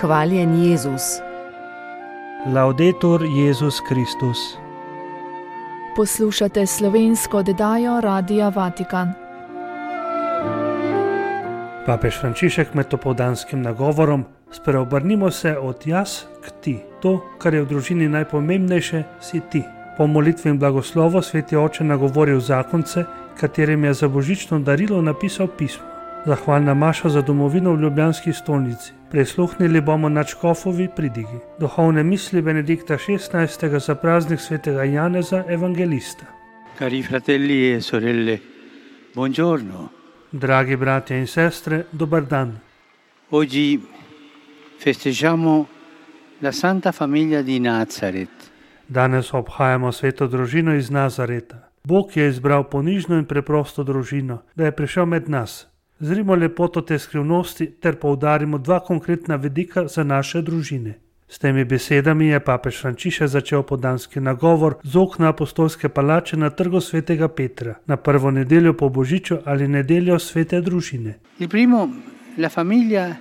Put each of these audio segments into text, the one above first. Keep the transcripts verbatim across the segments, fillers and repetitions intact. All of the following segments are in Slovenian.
Hvaljen Jezus. Laudetur Jezus Kristus. Poslušate slovensko oddajo Radia Vatikan. Papež Frančišek med opoldanskim nagovorom: spreobrnimo se od jaz k ti. To, kar je v družini najpomembnejše, si ti. Po molitvi in blagoslovu sveti oče nagovoril zakonce, katerim je za božično darilo napisal pismo. Zahvalna maša za domovino v ljubljanski stolnici. Prisluhnili bomo nadškofovi pridigi. Duhovne misli Benedikta šestnajstega za praznik svetega Janeza Evangelista. Cari fratelli e sorelle, buongiorno. Dragi bratje in sestre, dober dan. Oggi festeggiamo la Santa Famiglia di Nazaret. Danes obhajamo sveto družino iz Nazareta. Bog je izbral ponižno in preprosto družino, da je prišel med nas. Zrimo lepoto te skrivnosti ter poudarimo dva konkretna vidika za naše družine. S temi besedami je papež Frančišek začel opoldanski nagovor z okna apostolske palače na trgu svetega Petra, na prvo nedeljo po božiču ali nedeljo svete družine. Il primo, la famiglia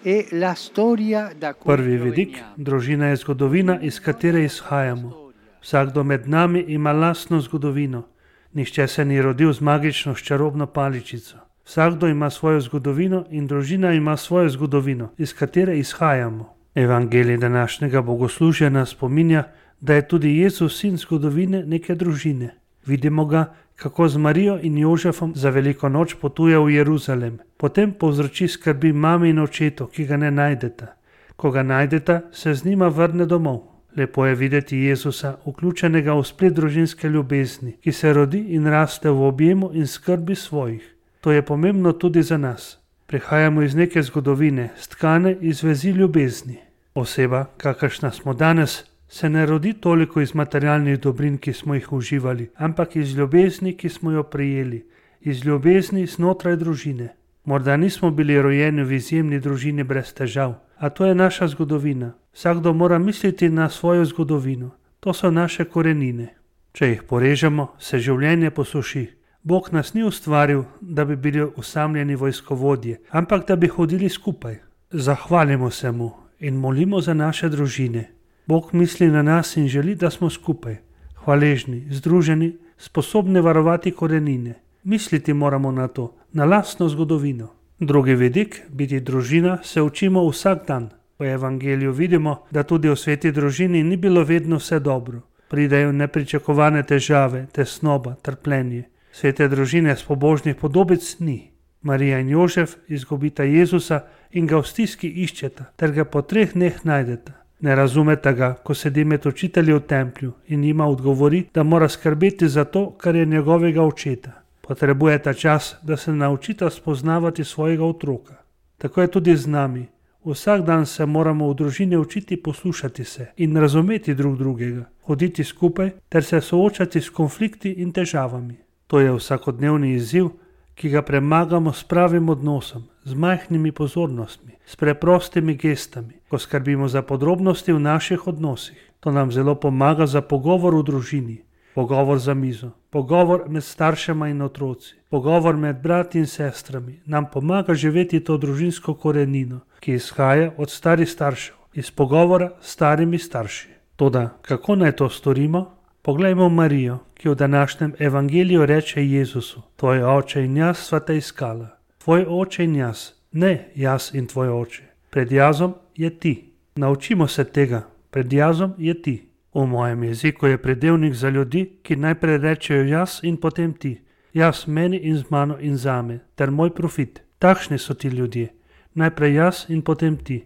è la storia da cui Prvi vidik, družina je zgodovina, iz katere izhajamo. Vsakdo med nami ima lastno zgodovino. Nihče se ni rodil z magično čarobno paličico. Vsakdo ima svojo zgodovino in družina ima svojo zgodovino, iz katere izhajamo. Evangelij današnjega bogoslužja nas spominja, da je tudi Jezus sin zgodovine neke družine. Vidimo ga, kako z Marijo in Jožefom za veliko noč potuje v Jeruzalem. Potem povzroči skrbi mami in očetu, ki ga ne najdeta. Ko ga najdeta, se z njima vrne domov. Lepo je videti Jezusa, vključenega v splet družinske ljubezni, ki se rodi in raste v objemu in skrbi svojih. To je pomembno tudi za nas. Prihajamo iz neke zgodovine, stkane iz vezi ljubezni. Oseba, kakršna smo danes, se ne rodi toliko iz materialnih dobrin, ki smo jih uživali, ampak iz ljubezni, ki smo jo prejeli, iz ljubezni znotraj družine. Morda nismo bili rojeni v izjemni družini brez težav, a to je naša zgodovina. Vsakdo mora misliti na svojo zgodovino. To so naše korenine. Če jih porežemo, se življenje posuši. Bog nas ni ustvaril, da bi bili osamljeni vojskovodje, ampak da bi hodili skupaj. Zahvalimo se mu in molimo za naše družine. Bog misli na nas in želi, da smo skupaj, hvaležni, združeni, sposobni varovati korenine. Misliti moramo na to, na lastno zgodovino. Drugi vidik, biti družina, se učimo vsak dan. V evangeliju vidimo, da tudi v sveti družini ni bilo vedno vse dobro. Pridejo nepričakovane težave, tesnoba, trpljenje. Svete družine s pobožnih podobic ni. Marija in Jožef izgubita Jezusa in ga v stiski iščeta, ter ga po treh dneh najdeta. Ne razumeta ga, ko sedi med učitelji v templju in jima odgovori, da mora skrbeti za to, kar je njegovega očeta. Potrebujeta čas, da se naučita spoznavati svojega otroka. Tako je tudi z nami. Vsak dan se moramo v družini učiti poslušati se in razumeti drug drugega, hoditi skupaj ter se soočati s konflikti in težavami. To je vsakodnevni izziv, ki ga premagamo s pravim odnosom, z majhnimi pozornostmi, s preprostimi gestami, ko skrbimo za podrobnosti v naših odnosih. To nam zelo pomaga za pogovor v družini, pogovor za mizo, pogovor med staršema in otroci, pogovor med brati in sestrami. Nam pomaga živeti to družinsko korenino, ki izhaja od starih staršev, iz pogovora s starimi starši. Toda, kako naj to storimo? Poglejmo Marijo, ki v današnjem evangeliju reče Jezusu: tvoj oče in jaz sva te iskala. Tvoj oče in jaz, ne jaz in tvoj oče. Pred jazom je ti. Naučimo se tega, pred jazom je ti. V mojem jeziku je pridevnik za ljudi, ki najprej rečejo jaz in potem ti. Jaz meni in z mano in zame, ter moj profit. Takšni so ti ljudje. Najprej jaz in potem ti.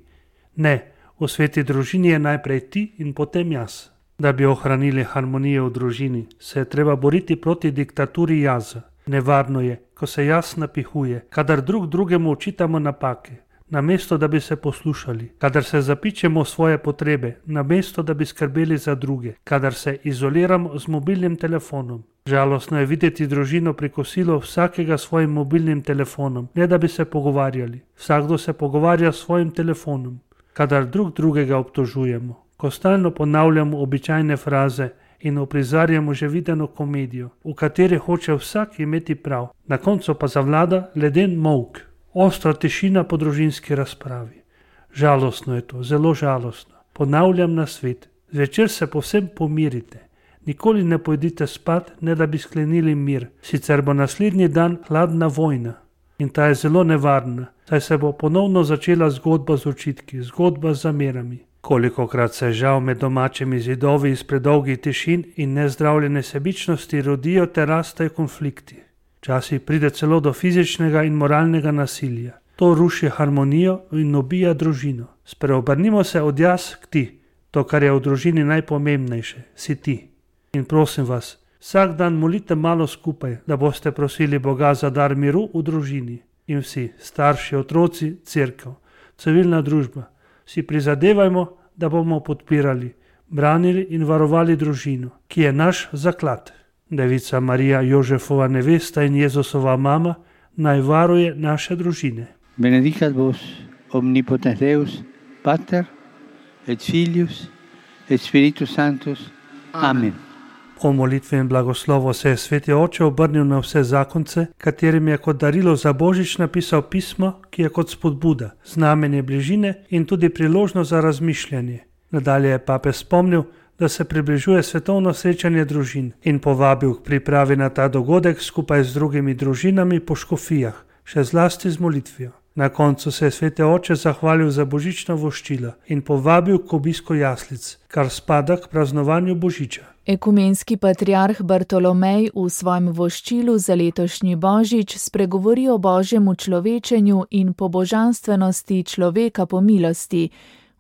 Ne, v sveti družini je najprej ti in potem jaz. Da bi ohranili harmonijo v družini, se je treba boriti proti diktaturi jaza. Nevarno je, ko se jaz napihuje, kadar drug drugemu očitamo napake, namesto da bi se poslušali, kadar se zapičemo svoje potrebe, namesto da bi skrbeli za druge, kadar se izoliramo z mobilnim telefonom. Žalostno je videti družino pri kosilu vsakega s svojim mobilnim telefonom, ne da bi se pogovarjali. Vsakdo se pogovarja s svojim telefonom, kadar drug drugega obtožujemo. Ko stalno ponavljamo običajne fraze in uprizarjamo že videno komedijo, v kateri hoče vsak imeti prav, na koncu pa zavlada leden molk, ostra tišina po družinski razpravi. Žalostno je to, zelo žalostno. Ponavljam na svet, zvečer se povsem pomirite. Nikoli ne pojdite spat, ne da bi sklenili mir, sicer bo naslednji dan hladna vojna. In ta je zelo nevarna, saj se bo ponovno začela zgodba z očitki, zgodba z zamerami. Kolikokrat se žal med domačimi zidovi iz predolgih tišin in nezdravljene sebičnosti rodijo ter rastejo konflikti. Včasih pride celo do fizičnega in moralnega nasilja. To ruši harmonijo in ubija družino. Spreobrnimo se od jaz k ti, to, kar je v družini najpomembnejše, si ti. In prosim vas, vsak dan molite malo skupaj, da boste prosili Boga za dar miru v družini. In vsi, starši, otroci, cerkev, civilna družba, si prizadevajmo, da bomo podpirali, branili in varovali družino, ki je naš zaklad. Devica Marija, Jožefova nevesta in Jezusova mama, naj varuje naše družine. Benedicat vos omnipotens Deus, Pater et Filius et Spiritus Sanctus. Amen. O molitvi in blagoslovu se je sveti oče obrnil na vse zakonce, katerim je kot darilo za Božič napisal pismo, ki je kot spodbuda, znamenje bližine in tudi priložnost za razmišljanje. Nadalje je papež spomnil, da se približuje svetovno srečanje družin in povabil k pripravi na ta dogodek skupaj z drugimi družinami po škofijah, še zlasti z molitvijo. Na koncu se je sveti oče zahvalil za božično voščilo in povabil k obisku jaslic, kar spada k praznovanju Božiča. Ekumenski patriarh Bartolomej v svojem voščilu za letošnji Božič spregovori o božjem učlovečenju in pobožanstvenosti človeka po milosti.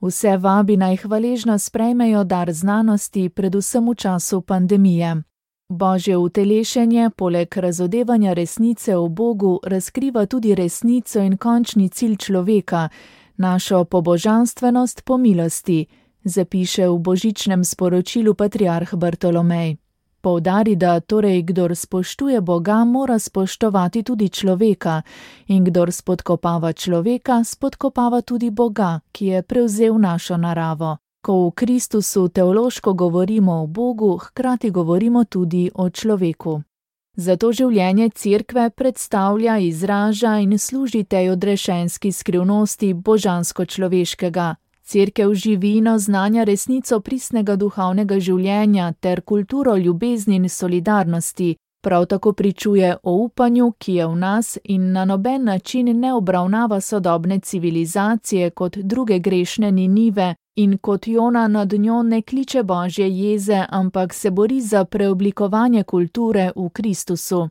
Vse vabi naj hvaležno sprejmejo dar znanosti, predvsem v času pandemije. Božje utelešenje poleg razodevanja resnice o Bogu razkriva tudi resnico in končni cilj človeka, našo pobožanstvenost po milosti, zapiše v božičnem sporočilu patriarh Bartolomej. Poudari, da torej kdor spoštuje Boga, mora spoštovati tudi človeka in kdor spodkopava človeka, spodkopava tudi Boga, ki je prevzel našo naravo. Ko v Kristusu teološko govorimo o Bogu, hkrati govorimo tudi o človeku. Zato življenje cerkve predstavlja, izraža in služi tej odrešenski skrivnosti božansko-človeškega. Cerkev živino znanja resnico pristnega duhovnega življenja ter kulturo ljubezni in solidarnosti, prav tako pričuje o upanju, ki je v nas in na noben način ne obravnava sodobne civilizacije kot druge grešne Ninive in kot Jona nad njo ne kliče božje jeze, ampak se bori za preoblikovanje kulture v Kristusu.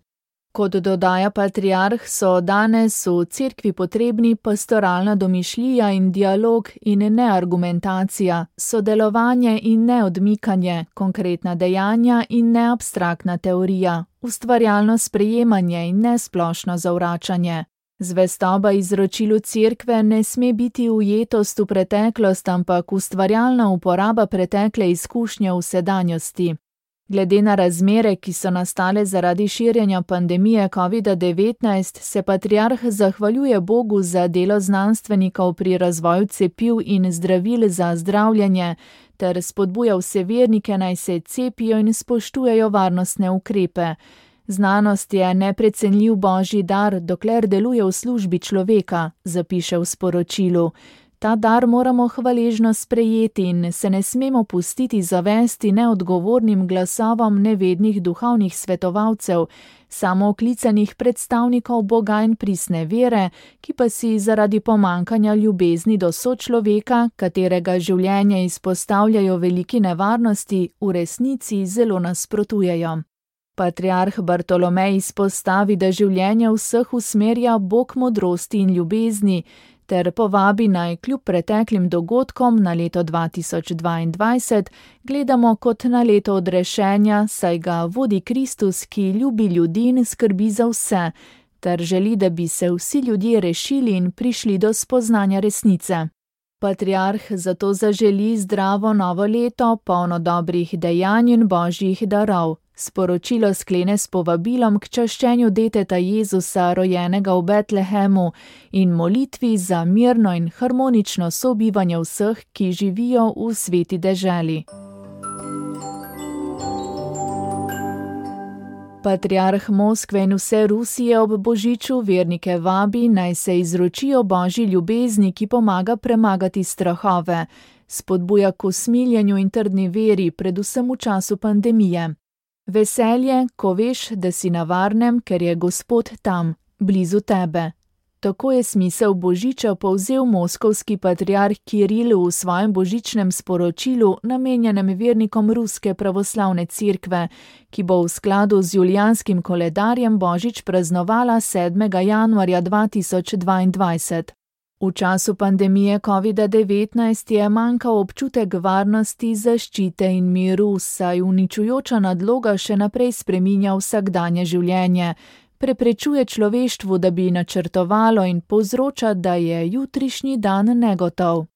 Kot dodaja patriarh, so danes v cerkvi potrebni pastoralna domišljija in dialog in ne argumentacija, sodelovanje in ne odmikanje, konkretna dejanja in ne abstraktna teorija, ustvarjalno sprejemanje in ne splošno zavračanje. Zvestoba izročilu cerkve ne sme biti ujetost v preteklost, ampak ustvarjalna uporaba pretekle izkušnje v sedanjosti. Glede na razmere, ki so nastale zaradi širjenja pandemije kovida devetnajst, se patriarh zahvaljuje Bogu za delo znanstvenikov pri razvoju cepiv in zdravil za zdravljenje, ter spodbuja vse vernike naj se cepijo in spoštujejo varnostne ukrepe. Znanost je neprecenljiv božji dar, dokler deluje v službi človeka, zapiše v sporočilu. Ta dar moramo hvaležno sprejeti in se ne smemo pustiti zavesti neodgovornim glasovom nevednih duhovnih svetovalcev, samooklicanih predstavnikov Boga in pristne vere, ki pa si zaradi pomankanja ljubezni do sočloveka, katerega življenje izpostavljajo veliki nevarnosti, v resnici zelo nasprotujejo. Patriarh Bartolomej izpostavi, da življenje vseh usmerja Bog modrosti in ljubezni, ter povabi naj kljub preteklim dogodkom na leto dva tisoč dvaindvajset gledamo kot na leto odrešenja, saj ga vodi Kristus, ki ljubi ljudi in skrbi za vse, ter želi, da bi se vsi ljudje rešili in prišli do spoznanja resnice. Patriarh zato zaželi zdravo novo leto, polno dobrih dejanj in božjih darov. Sporočilo sklene s povabilom k čaščenju deteta Jezusa, rojenega v Betlehemu, in molitvi za mirno in harmonično sobivanje vseh, ki živijo v sveti deželi. Patriarh Moskve in vse Rusije ob božiču vernike vabi, naj se izročijo Božji ljubezni, ki pomaga premagati strahove, spodbuja k usmiljenju in trdni veri, predvsem v času pandemije. Veselje, ko veš, da si na varnem, ker je Gospod tam, blizu tebe. Tako je smisel božiča povzel moskovski patriarh Kiril v svojem božičnem sporočilu, namenjenem vernikom Ruske pravoslavne cerkve, ki bo v skladu z julijanskim koledarjem božič praznovala sedmega januarja dva tisoč dvaindvajset. V času pandemije covida devetnajst je manjkal občutek varnosti, zaščite in miru, saj uničujoča nadloga še naprej spreminja vsakdanje življenje, preprečuje človeštvu, da bi načrtovalo in povzroča, da je jutrišnji dan negotov.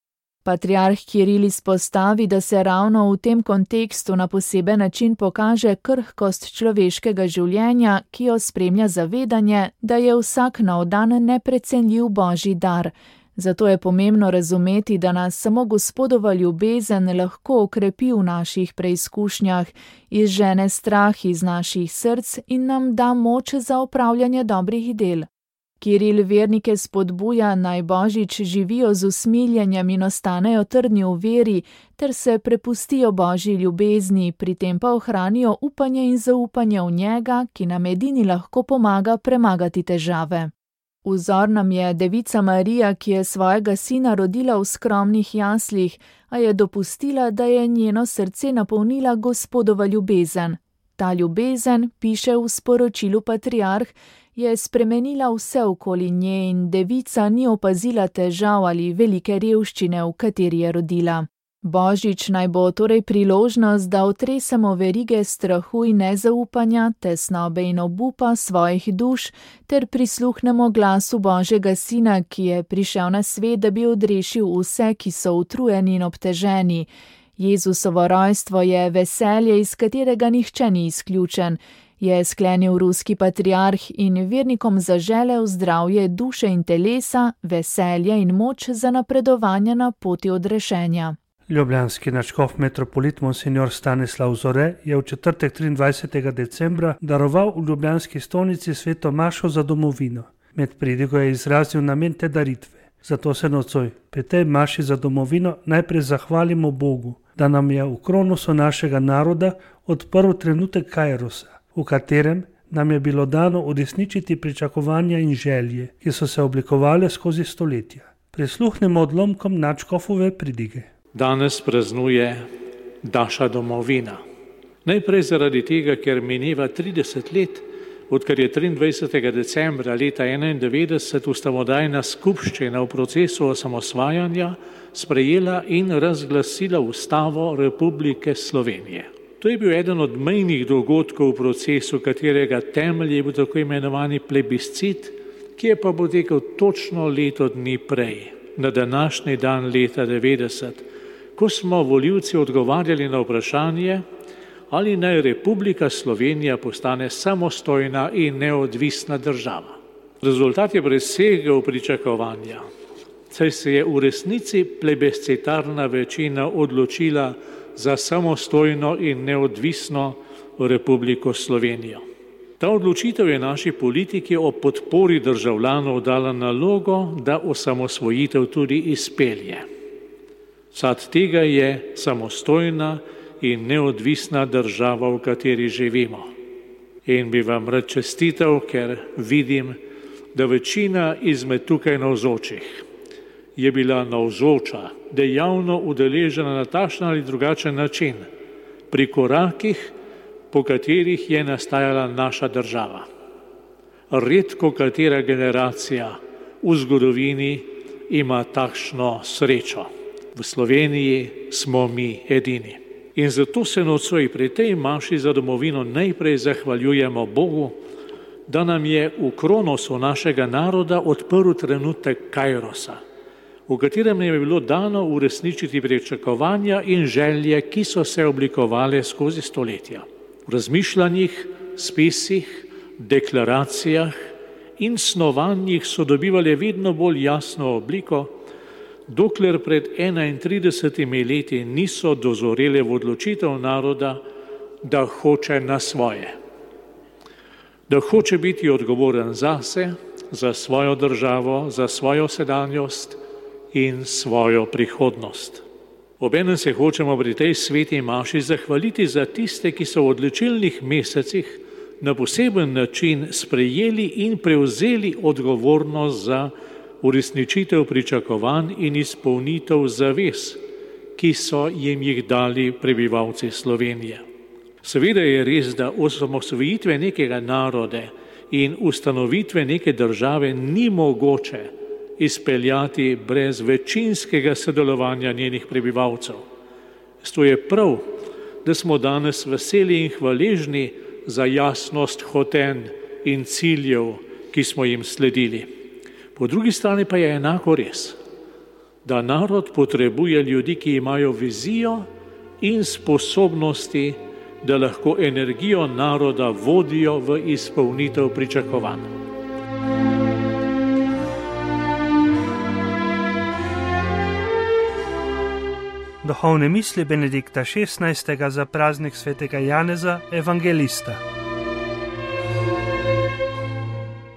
Patriarh Kiril izpostavi, da se ravno v tem kontekstu na poseben način pokaže krhkost človeškega življenja, ki jo spremlja zavedanje, da je vsak nov dan neprecenljiv Božji dar. Zato je pomembno razumeti, da nas samo Gospodova ljubezen lahko okrepi v naših preizkušnjah, izžene strah iz naših src in nam da moč za opravljanje dobrih del. Kiril vernike spodbuja, naj božič živijo z usmiljenjem in ostanejo trdni v veri, ter se prepustijo Božji ljubezni, pri tem pa ohranijo upanje in zaupanje v njega, ki nam edini lahko pomaga premagati težave. Vzor nam je Devica Marija, ki je svojega sina rodila v skromnih jaslih, a je dopustila, da je njeno srce napolnila Gospodova ljubezen. Ta ljubezen, piše v sporočilu patriarh, je spremenila vse okoli nje in devica ni opazila težav ali velike revščine, v kateri je rodila. Božič naj bo torej priložnost, da otresemo verige strahu in nezaupanja, tesnobe in obupa svojih duš, ter prisluhnemo glasu Božjega Sina, ki je prišel na svet, da bi odrešil vse, ki so utrujeni in obteženi. Jezusovo rojstvo je veselje, iz katerega nihče ni izključen, je sklenil ruski patriarh in vernikom zaželel zdravje duše in telesa, veselje in moč za napredovanje na poti odrešenja. Ljubljanski nadškof metropolit monsignor Stanislav Zore je v četrtek triindvajsetega decembra daroval v ljubljanski stolnici sveto mašo za domovino. Med pridigo je izrazil namen te daritve. Zato se nocoj pri tej maši za domovino najprej zahvalimo Bogu, da nam je v kronosu našega naroda odprl trenutek kairosa, v katerem nam je bilo dano uresničiti pričakovanja in želje, ki so se oblikovale skozi stoletja. Prisluhnemo odlomkom nadškofove pridige. Danes praznuje naša domovina. Najprej zaradi tega, ker mineva trideset let, odkar je triindvajsetega decembra leta enaindevetdeset ustavodajna skupščina v procesu osamosvajanja sprejela in razglasila Ustavo Republike Slovenije. To je bil eden od mejnih dogodkov v procesu, katerega temelj je bil tako imenovani plebiscit, ki je pa potekal točno leto dni prej, na današnji dan leta devetdeset, ko smo volivci odgovarjali na vprašanje, ali naj Republika Slovenija postane samostojna in neodvisna država. Rezultat je presegel pričakovanja, saj se je v resnici plebiscitarna večina odločila za samostojno in neodvisno Republiko Slovenijo. Ta odločitev je naši politiki o podpori državljanov dala nalogo, da osamosvojitev tudi izpelje. Sad tega je samostojna in neodvisna država, v kateri živimo. In bi vam rad čestital, ker vidim, da večina izmed tukaj navzočih je bila navzoča, dejavno udeležena na takšen ali drugačen način pri korakih, po katerih je nastajala naša država. Redko katera generacija v zgodovini ima takšno srečo. V Sloveniji smo mi edini. In zato se nocoj pri tej maši za domovino najprej zahvaljujemo Bogu, da nam je v kronosu našega naroda odprl trenutek kairosa, v katerem je bilo dano uresničiti pričakovanja in želje, ki so se oblikovale skozi stoletja. V razmišljanjih, spisih, deklaracijah in snovanjih so dobivali vedno bolj jasno obliko, dokler pred enaintridesetimi leti niso dozorele v odločitev naroda, da hoče na svoje. da hoče biti odgovoren zase, za svojo državo, za svojo sedanjost in svojo prihodnost. Obenem se hočemo pri tej sveti maši zahvaliti za tiste, ki so v odločilnih mesecih na poseben način sprejeli in prevzeli odgovornost za uresničitev pričakovanj in izpolnitev zavez, ki so jim jih dali prebivalci Slovenije. Seveda je res, da osamosvojitve nekega naroda in ustanovitve neke države ni mogoče izpeljati brez večinskega sodelovanja njenih prebivalcev. Zato je prav, da smo danes veseli in hvaležni za jasnost hotenj in ciljev, ki smo jim sledili. Po drugi strani pa je enako res, da narod potrebuje ljudi, ki imajo vizijo in sposobnosti, da lahko energijo naroda vodijo v izpolnitev pričakovanj. Duhovne misli Benedikta šestnajstega za praznik svetega Janeza Evangelista.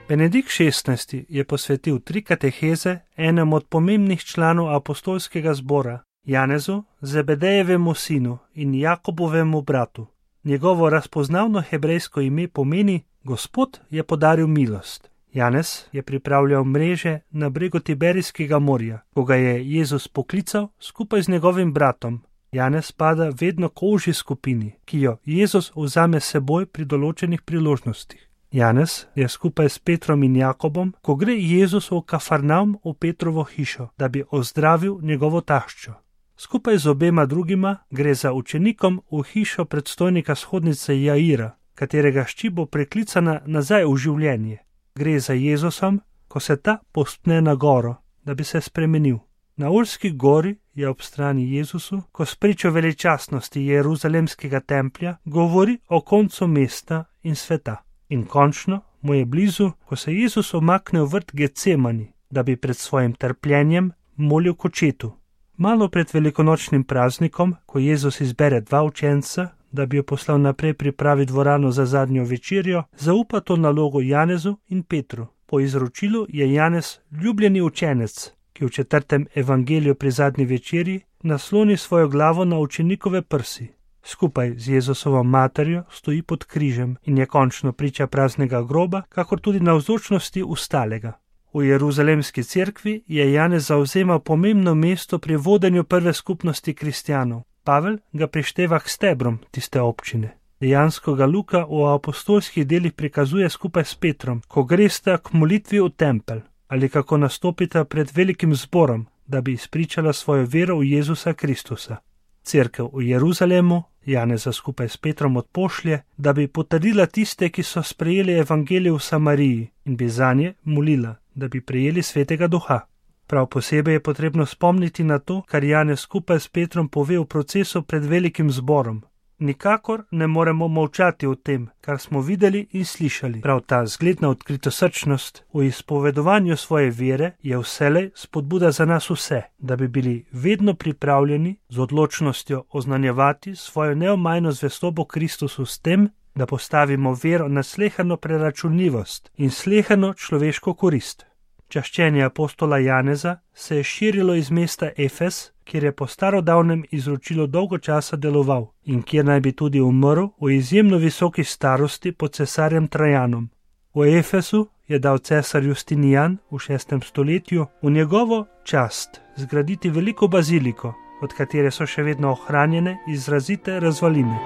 Benedikt šestnajsti je posvetil tri kateheze enemu od pomembnih članov apostolskega zbora, Janezu, Zebedejevemu sinu in Jakobovemu bratu. Njegovo razpoznavno hebrejsko ime pomeni Gospod je podaril milost. Janez je pripravljal mreže na bregu Tiberijskega morja, ko ga je Jezus poklical skupaj z njegovim bratom. Janez spada vedno k ožji skupini, ki jo Jezus vzame seboj pri določenih priložnostih. Janez je skupaj s Petrom in Jakobom, ko gre Jezus v Kafarnaum v Petrovo hišo, da bi ozdravil njegovo taščo. Skupaj z obema drugima gre za učenikom v hišo predstojnika shodnice Jaira, katerega hči bo preklicana nazaj v življenje. Gre za Jezusom, ko se ta povzpne na goro, da bi se spremenil. Na Olski gori je ob strani Jezusu, ko spričo veličastnosti Jeruzalemskega templja govori o koncu mesta in sveta. In končno mu je blizu, ko se Jezus omakne v vrt Getsemani, da bi pred svojim trpljenjem molil k očetu. Malo pred velikonočnim praznikom, ko Jezus izbere dva učenca, da bi jo poslal naprej pripraviti dvorano za zadnjo večerjo, zaupa to nalogo Janezu in Petru. Po izročilu je Janez ljubljeni učenec, ki v četrtem evangeliju pri zadnji večerji nasloni svojo glavo na učenikove prsi. Skupaj z Jezusovo materjo stoji pod križem in je končno priča praznega groba, kakor tudi navzočnosti ustalega. V Jeruzalemski cerkvi je Janez zavzemal pomembno mesto pri vodenju prve skupnosti kristjanov. Pavel ga prišteva k stebrom tiste občine. Dejansko ga Luka v apostolskih delih prikazuje skupaj s Petrom, ko gresta k molitvi v tempelj ali kako nastopita pred velikim zborom, da bi izpričala svojo vero v Jezusa Kristusa. Cerkev v Jeruzalemu Janeza skupaj s Petrom odpošlje, da bi potrdila tiste, ki so sprejeli evangelij v Samariji in bi zanje molila, da bi prejeli svetega duha. Prav posebej je potrebno spomniti na to, kar Janez skupaj s Petrom pove v procesu pred velikim zborom. Nikakor ne moremo molčati o tem, kar smo videli in slišali. Prav ta zgledna odkritosrčnost v izpovedovanju svoje vere je vselej spodbuda za nas vse, da bi bili vedno pripravljeni z odločnostjo oznanjevati svojo neomajno zvestobo Kristusu s tem, da postavimo vero na slehano preračunljivost in slehano človeško korist. Čaščenje apostola Janeza se je širilo iz mesta Efes, kjer je po starodavnem izročilu dolgo časa deloval in kjer naj bi tudi umrl v izjemno visoki starosti pod cesarjem Trajanom. V Efesu je dal cesar Justinijan v šestem stoletju v njegovo čast zgraditi veliko baziliko, od katere so še vedno ohranjene izrazite razvaline.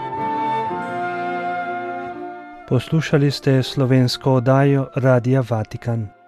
Poslušali ste slovensko oddajo Radia Vatikan.